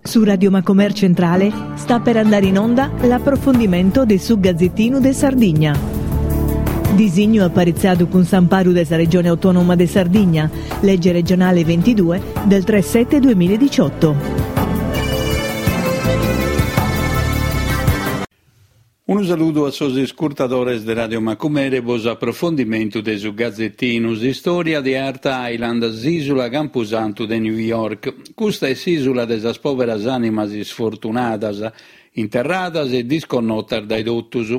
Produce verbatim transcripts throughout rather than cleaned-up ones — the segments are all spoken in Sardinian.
Su Radio Macomer Centrale sta per andare in onda l'approfondimento de su Gazzettinu de Sardigna. Disignu aparitzadu cun s'amparu de sa Regione Autonoma de Sardigna, legge regionale ventidue del tre sette duemiladiciotto. Unu saludu a sos iscurtadores de Radio Macumere po s'aprofondimentu de su Gazettinu, s'istòria de Hart Island, s'ìsula campusantu de New York. Custa est s'ìsula de sas pòveras ànimas isfortunadas, interradas e disconnotas dae totus.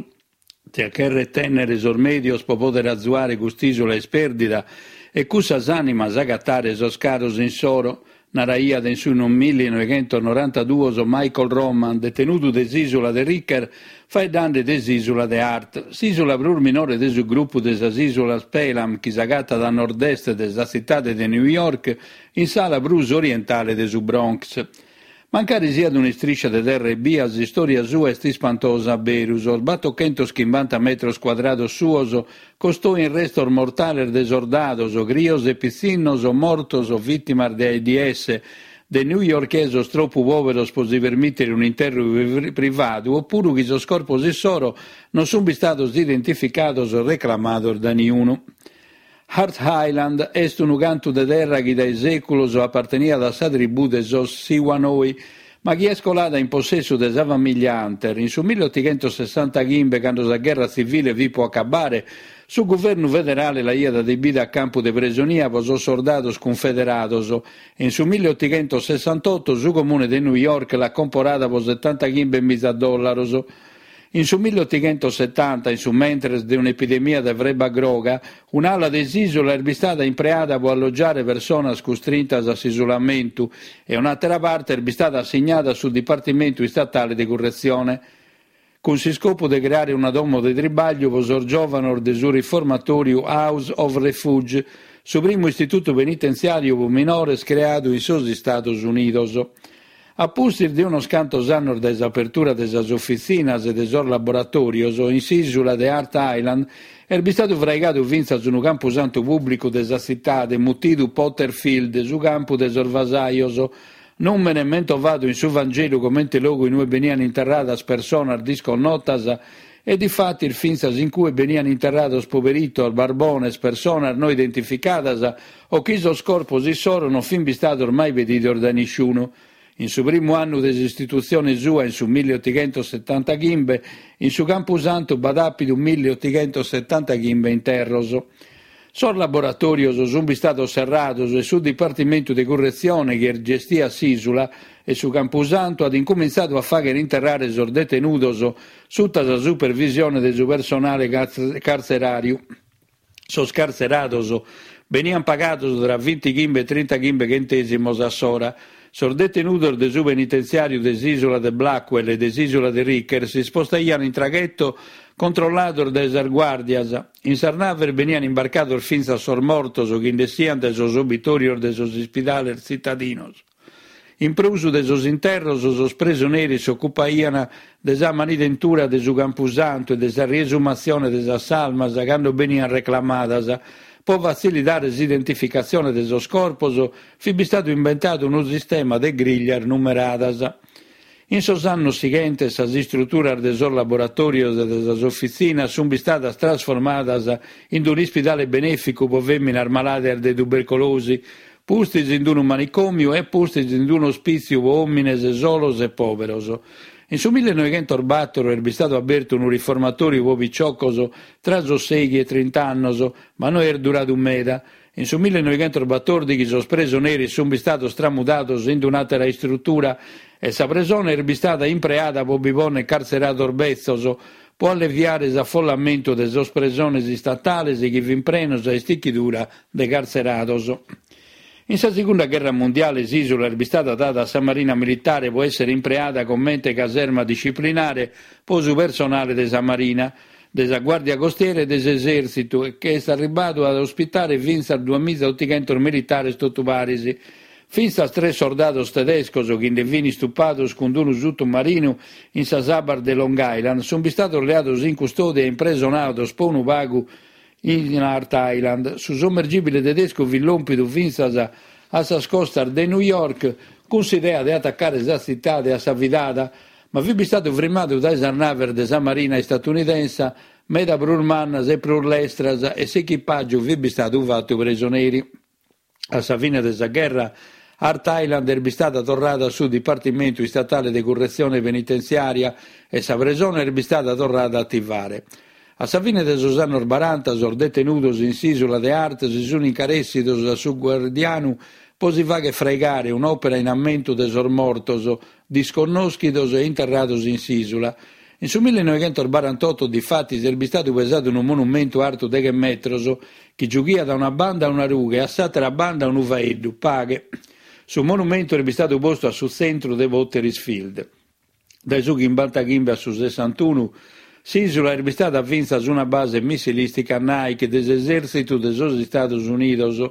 Tia chèrrere tènnere sos mèdios pro pòdere azuare cust'ìsula ispèrdida e cussas ànimas agatare sos caros insoro, naraiat in su millinoighentos norantaduos Michael Roman, detenudu de s'ìsula de Riker, faeddende de s'ìsula de Hart, s'ìsula prus minore de su grupu de sas ìsulas Pelham, chi s'agatat a nord-est de sa tzitade de New York, in s'ala prus orientale de su Bronx. Mancari siat un'istriscia de terra ebbia, s'istòria sua est ispantosa a beru. Sos batochentos chimbanta metros cuadrados suos costoin restos mortales de sordados, crios e pitzinnos mortos vìtimas de AIDS, de newyorkesos tropu pòveros pro si permìtere un'interru privadu, opuru chi sos corpos issoro non sunt istados identificados o reclamados dae niunu. Hart Island est unu cantu de terra chi dae sèculos aparteniat a sa tribù de sos Siwanoy, ma chi est colada in possessu de sa famìlia Hunter. In su milleotighentosessantaghimbe, cando sa gherra tzivile fit pro acabare, su guvernu federale l'aiat adibida a campu de presonia pro sos sordados cunfederados e in su milleotighentosessantotto su comune de New York l'at comporada pro setantaghimbe miza dòllaros. In su milleotighentosetanta, in su mentres de un'epidemia de frebba groga, un'ala de s'ìsula est bistada impreada pro allogiare personas custrintas a s'isulamentu e un'àtera parte est bistada assignada a su Dipartimentu Istatale de Curretzione, cun s'iscopu de creare una domo de tribagliu pro sos giòvanos de su riformatòriu House of Refuge, su primu istitutu penitentziàriu pro minores creadu in sos Istados Unidos. A pustis de unos cantos annos dae s'apertura de sas ofitzinas e de sos laboratòrios, in s'ìsula de Hart Island est bistadu fraigadu fintzas unu campusantu pùblicu de sa tzitade, mutidu Potter Field, su campu de sos vasajos, nùmene mentovadu in su Vangelu comente logu in ue beniant interradas personas disconnotas e difatis fintzas in cue beniant interrados poberitos, barbones, personas no identificadas o chi sos corpos issoro non fin bistados mai pedidos dae nisciunu. In su primu annu de s'istitutzione sua, in su milleotighentosetantachimbe, in su Campusantu b'at àpidu milleotighentosetantachimbe interros. Sos laboratòrios sunt bistados serrados e su Dipartimentu de Curretzione chi gestiat s'ìsula e su Campusantu at incumintzadu a fàghere interrare sos detenudos suta sa supervisione de su personale cartzeràriu. Sos cartzerados beniant pagados tra bintighimbe e trintaghimbe chentèsimos a s'ora. Sos detenudos de su penitentziàriu de s'ìsula de Blackwell e de s'ìsula de Riker si spostaiant in traghetto controllados dae sas guàrdias. In sas naves beniant imbarcados fintzas sos mortos chi nd'essiant dae sos obitòrios de sos ispidales tzitadinos. In prus de sos interros, sos presoneris s'ocupaiant de sa manidentura de su Campusantu e de sa riesumatzione de sas salmas cando beniant reclamadas. Pro fatzilitare s'identificatzione de sos corpos, fit bistadu imbentadu unu sistema de grìglias numeradas. In sos annos sighentes sas istruturas de sos laboratòrios e de sas ofitzinas sunt bistadas trasformadas in un'ispidale benèficu pro fèminas malàdias de tubercolosi, pustis in unu manicòmiu e pustis in un'ospìtziu pro òmines solos e pòveros. In su millenoighentos bator est bistadu abertu unu riformatòriu pro piciocos tra sos sèighi e trinta annos, ma no est duradu meda. In su millenoighentos batòrdighi sos presoneris sunt bistados tramudados in un'àtera istrutura e sa presone est bistada impreada pro bi pònnere cartzerados betzos, pro alleviare s'afollamentu de sos presones istatales chi fin prenos a istichidura de cartzerados. In sa Segunda Gherra Mundiale s'ìsula est bistada dada a sa Marina Militare pro èssere impreada comente caserma disciplinare pro su personale de sa Marina, de sa Guàrdia Costiera e de s'Esèrtzitu e che est arribadu a ospitare fintzas duamizaotighentos militares totu paris. Fintzas tres sordados tedescos chi nde fin istupados cun unu suttomarinu in sas abbas de Long Island sunt bistados leados in custòdia e impresonados pro unu pagu in Hart Island. Su sommergibile tedescu fit lòmpidu fintzas a sas costas de New York cun s'idea de atacare sa tzitade a sa fidada, ma fit bistadu frimmadu dae sas naves de sa marina istatunidensa, meda prus mannas e prus lestras, e s'echipàgiu fit bistadu fatu presoneri. A sa fine de sa gherra, Hart Island est bistada torrada a su Dipartimentu Istatale de Curretzione Penitentziària e sa presone est bistada torrada a ativare. A sa fine de sos annos baranta sos detenudos in s'ìsula de Hart si sunt incarèssidos a su guardianu pro si fàghere fraigare un'òpera in ammentu de sos mortos, disconnòschidos e interrados in s'ìsula. In su millenoighentosbarantotto, difatis, est bistadu pesadu unu monumentu artu deghe metros chi giughiat a una banda una rughe e a s'àtera banda unu faeddu, paghe. Su monumentu est bistadu postu a su tzentru de Potter's Field. Dae su chimbantachimbe a su sessantunu, s'ìsula est bistada fintzas una base missilìstica Nike de s'esèrtzitu de sos Istados Unidos.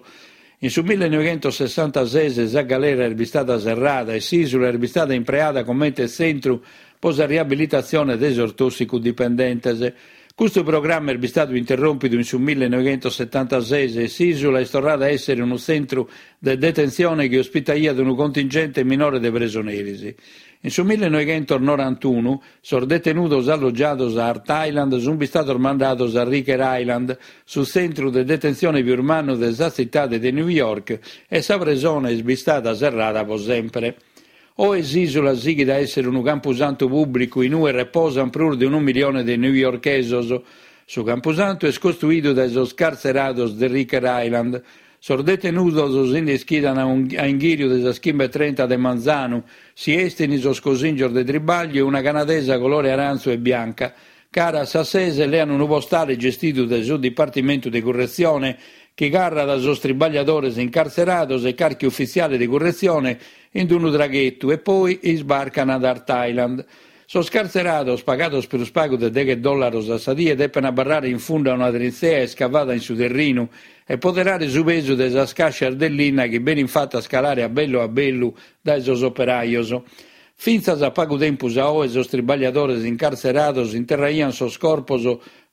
In su millenoighentosessantases sa galera est bistada serrada e s'ìsula est bistada impreada comente tzentru pro sa riabilitatzione de sos tòssicu-dipendentes. Custu programma est bistadu interròmpidu in su millenoighentosetantases e s'ìsula est torrada a èssere unu tzentru de detentzione chi ospitaiat unu contingente minore de presoneris. In su millenoighentosnorantunu sos detenudos allogiados a Hart Island sunt bistados mandados a Riker Island, su tzentru de detentzione pius mannu de sa tzitade de New York, e sa presone est bistada serrada pro semper. Oe s'ìsula sighit a èssere unu campusantu pùblicu in ue reposant prus de unu milione de newyorkesos. Su campusantu est costuidu dae sos cartzerados de Riker Island. Sos detenudos si nde ischidant a inghìriu de sas chimbe e trenta de manzanu, si estint sos cosìngios de tribàgliu e una canadesa colore arantzu e bianca. Cara a sas ses lean unu postale gestidu dae su Dipartimentu de Curretzione chi carrat sos tribagliadores incartzerados e carchi ufitziale de curretzione in unu traghetu e poi isbarcan ad Hart Island. Sos cartzerados, pagados prus pagu de deghe dòllaros a sa die, depen abarrare in fundu a una trintzea iscavada in su terrinu e poderare su pesu de sas càscias de linna chi benint fatas calare a bellu a bellu dae sos operajos. Fintzas a pagu tempus a oe sos tribagliadores incartzerados interraiant sos corpos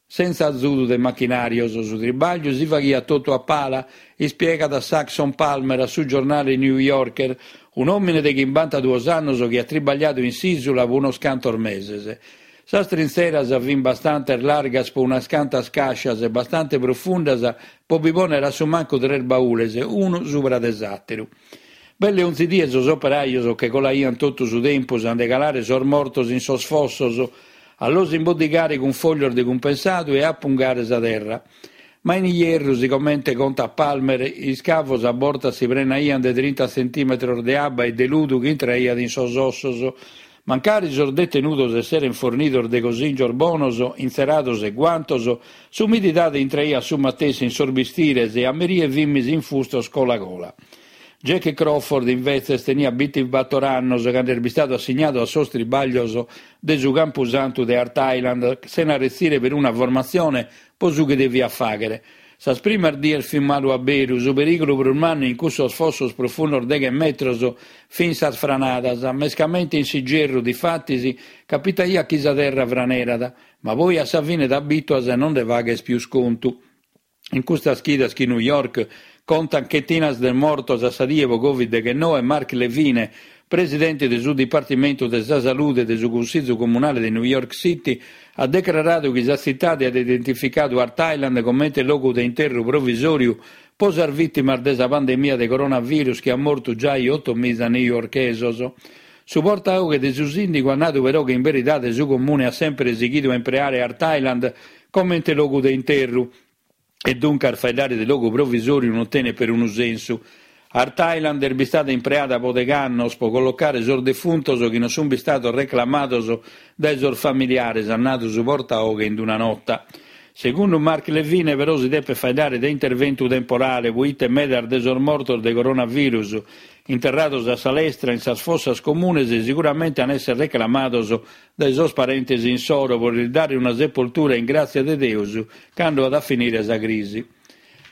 sentza azudu de machinàrios. Su tribàgliu si faghiat totu a pala, ispiegat Saxon Palmer a su giornale New Yorker, un'òmine de chimbantaduos annos chi at tribagliadu in s'ìsula pro unos cantos meses. Sas trintzeras fin bastante largas pro unas cantas càscias e bastante profundas pro bi pònnere a su mancu tres baules, unu subra de s'àteru. Belle onzi die sos operajos che colaiant totu su tempus a nde calare sos mortos in sos fossos, a los imboddigare cun fòglios de cumpensadu e a apungare sa terra. Ma in ierru, sigomente contat Palmer, iscavos a bortas si prenaiant de trinta tzentìmetros de abba e de ludu chi intraiat in sos ossos. Mancari sos detenudos esserent fornidos de cosìngios bonos, intzerados e guantos, s'umididade intraiat su matessi in sos bistires e a merie fimis infustos cola cola. Jack Crawford, invetzes, teniat bintibator annos cando est bistadu assignadu a sos tribàglios de su Campusantu de Hart Island, sena retzire peruna formatzione pro su chi deviat fàghere. Sas primas dies fit malu a beru, su perìgulu prus mannu in cussos fossos profundos deghe metros fin sas franadas, mescamente in s'igerru, difatis, capitaiat chi sa terra franerat, ma poi a sa fine t'abituas e non nde faghes pius contu. In custas chidas chi New York contat chentinas de mortos a sa die pro Covid deghennoe, Mark Levine, presidente de su Dipartimentu de sa Salude de su Cunsìgiu Comunale de New York City, at decraradu chi sa tzitade at identificadu Hart Island comente logu de interru provisòriu pro sas vìtimas de sa pandemia de coronavirus chi at mortu giai oto miza newyorkesos. Su portaoghe de su sìndigu at nadu però chi in beridade su comune at semper sighidu a impreare Hart Island comente logu de interru e duncas faeddare de logu provisòriu non tenet perunu sensu. Hart Island est bistada impreada pro deghe annos pro collocare sos defuntos chi non sunt bistados reclamados dae sos familiares, at nadu su portaoghe in una nota. Segundu Mark Levine, però, si depet faeddare de interventu temporale, poite medas de sos mortos de coronavirus interrados a sa lestra in sas fossas comunes siguramente an esser reclamados dae sos parentes insoro pro lis dare una sepoltura in gràtzia de Deus cando at a finire sa crisi.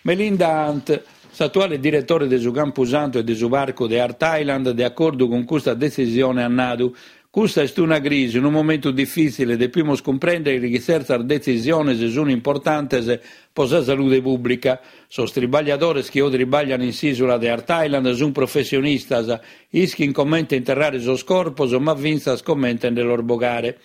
Melinda Hunt, s'atuale diretore de su Campusantu e de su Parcu de Hart Island, de acordu cun custa detzisione at nadu: Custa est una crisi, unu momentu difìtzile, depimus cumprèndere chi tzertas detzisiones sunt importantes pro sa salude pùblica. Sos tribagliadores chi oe tribaglian in s'ìsula de Hart Island sunt professionistas, ischin comente interrare sos corpos, ma fintzas comente nde los bogare.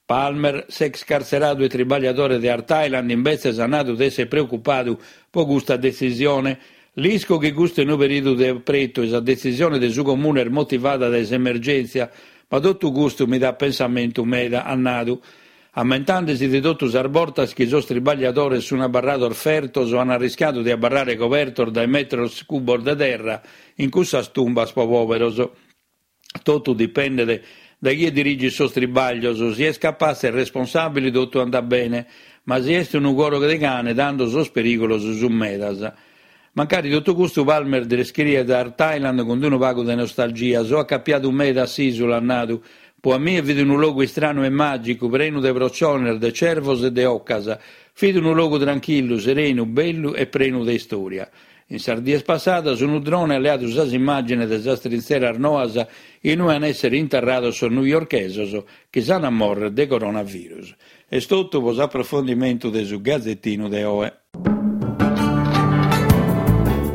Palmer, s'ex cartzeradu e tribagliadore de Hart Island, imbetzes at nadu de èssere preocupadu pro custa detzisione. L'isco chi custu est unu perìodu de apretu e sa detzisione de su comune est motivada dae s'emergèntzia, ma totu custu mi dat pensamentu meda, at nadu. Ammentandesi de totu sas bortas chi sos tribagliadores sunt abarrados fertos o an arriscadu de abarrare cobertos dae metros cubos de terra in cussas tumbas pro pòberos. Totu dipendet dae chie dirigit sos tribaglios, si est capatze e responsàbile totu andat bene, ma si est unu coro de cane tando sos perìgulos sunt medas. Mancari totu custu Palmer descriet Hart Island cun unu pagu de nostalgia. So acapiadu meda a s'ìsula, at nadu. Po a mie fit unu logu istranu e màgicu, prenu de prociones, de cervos e de ocas. Fit unu logu tranchillu, serenu, bellu e prenu de istòria. In sas dies passadas unu drone at leadu sas immàgines de sas trintzeras noas in ue an èssere interrados sos newyorkesos chi s'an a mòrrere de coronavirus. Est totu pro s'aprofondimentu de su Gazetinu de oe.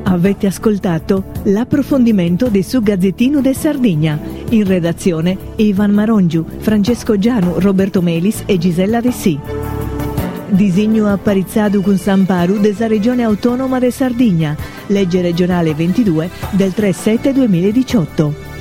Avete ascoltato l'approfondimento di su Gazzettino de Sardigna. In redazione Ivan Marongiu, Francesco Gianu, Roberto Melis e Gisella Dessì. Disignu aparitzadu cun s'amparu de sa Regione Autonoma de Sardigna, legge regionale ventidue del tre sette duemiladiciotto.